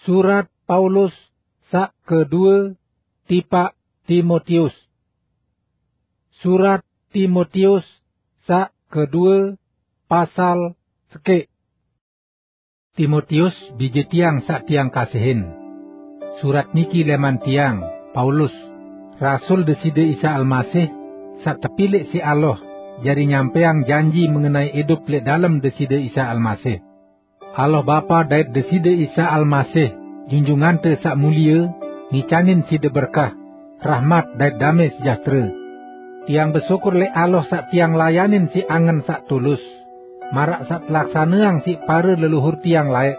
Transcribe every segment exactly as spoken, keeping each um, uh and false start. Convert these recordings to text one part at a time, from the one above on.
Surat Paulus saq kedue tipaq Timotius. Surat Timotius saq kedue, pasal sekeq. Timotius, bije tiang saq tiang kasihin. Surat niki leman tiang, Paulus, rasul Deside Isa Almasih, saq tepilek siq Allah, jari nyampeang janji mengenai idup leq dalem Deside Isa Almasih. Allah Bapa dait Deside Isa Almasih, Junjungante Saq Mulie, ngicanin side berkah, rahmat dait dame sejahtere. Tiang besyukur leq Allah saq tiang layanin siq angen saq tulus, maraq saq telaksaneang siq pare leluhur tiang laeq.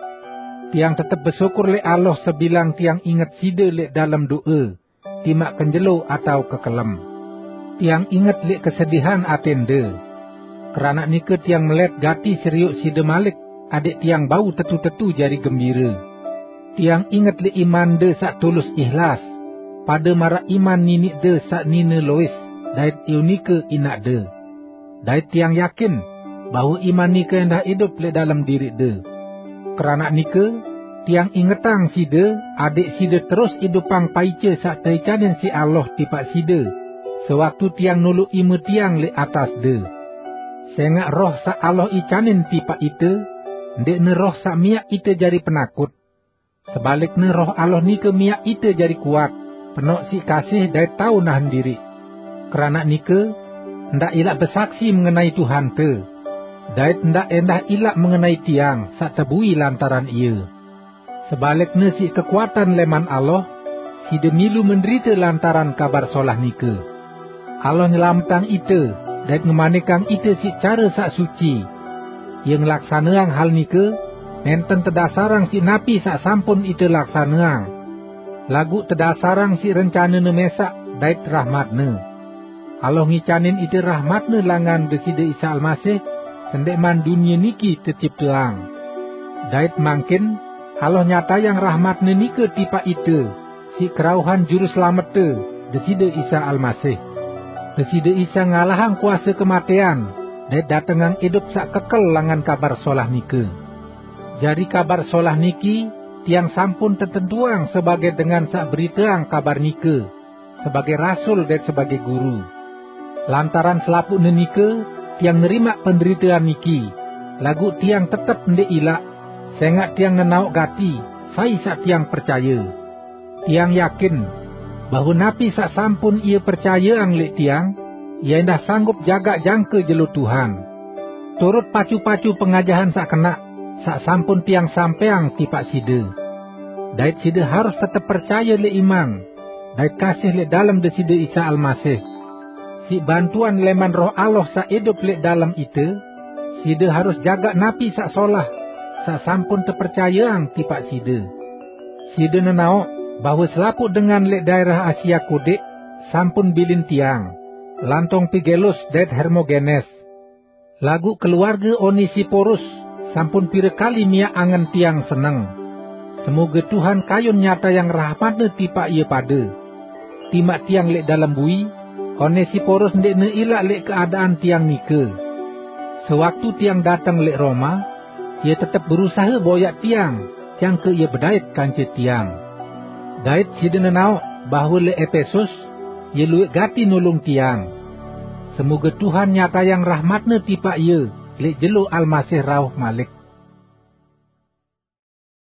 Tiang tetep besyukur leq Allah sebilang tiang inget side leq dalem do'e, timaq kenjelo atao kekelem. Tiang inget leq kesedihan atende. Keranaq nike tiang melet gati serioq side malik, adeq tiang bau tetu-tetu jari gembire. Tiang inget leq imande saq tulus ihlas, pade maraq iman niniqde saq nine Lois dait Eunike inaqde. Dait tiang yakin bahwe iman nike endah idup leq dalem diriqde. Keranaq nike, tiang ingetang side, adeq side terus idupang paice saq teicanin siq Allah tipaq side, sewaktu tiang noloq ime tiang leq atasde. Sengaq Roh saq Allah icanin tipaq ite, ndeqne roh saq miaq ite jari penakut. Sebalikne, Roh Allah nike miaq ite jari kuat, penoq siq kasih dait tao nahen diriq. Keranaq nike, ndaq ilaq besaksi mengenai Tuhante, dait ndaq endah ilaq mengenai tiang saq tebui lantaran ie. Sebalikne, siq kekuatan leman Allah, side milu menderite lantaran Kabar Solah nike. Allah nyelametang ite dait ngemanikang ite siq care saq suci. Ie ngelaksaneang hal nike nenten tedasarang siq napi saq sampun ite laksaneang, laguq tedasarang siq rencanene mesaq dait rahmatne. Allah ngicanin ite rahmatne langan Deside Isa Almasih sendeqman dunie niki tecipteang. Dait mangkin Allah nyatayang rahmatne nike tipaq ite siq kerauhan Juru Selamette, Deside Isa Almasih. Deside Isa ngalahang kuase kematean dait datengang idup saq kekel langan Kabar Solah nike. Jari Kabar Solah niki tiang sampun tetentuang sebage dengan saq beriteang kabar nike, sebage rasul dait sebage guru. Lantaran selapuqne nike, tiang nerimaq penderitean niki, laguq tiang tetep ndeq ilaq, sengaq tiang nenaoq gati sai saq tiang percaye. Tiang yakin bahwe napi saq sampun ie percayeang leq tiang, ie endah sanggup jagaq jangke jelo Tuhan. Turut pacu-pacu pengajahan saq kenaq, saq sampun tiang sampeang tipaq side. Dait side harus tetep percaye leq iman, dait kasih leq dalem Deside Isa Almasih. Siq bantuan leman Roh Allah saq idup leq dalem ite, side harus jagaq napi saq solah, saq sampun tepercayeang tipaq side. Side nenaoq bahwe selapuq dengan leq daerah Asia Kodeq sampun bilin tiang, lantong Pigelus dait Hermogenes. Laguq keluarge Onesiporus sampun pire kali miaq angen tiang seneng. Semoge Tuhan kayun nyatayang rahmatne tipaq ie pade. Timaq tiang leq dalem bui, Onesiporus ndeqne ilaq leq keadaan tiang nike. Sewaktu tiang dateng leq Roma, ie tetep berusahe boyaq tiang, jangke ie bedait kance tiang. Dait side nenaoq bahwe leq Epesus, ie luwẽq gati nulung tiang. Semoge Tuhan nyatayang rahmatne tipaq ie leq jelo Almasih rauh malik.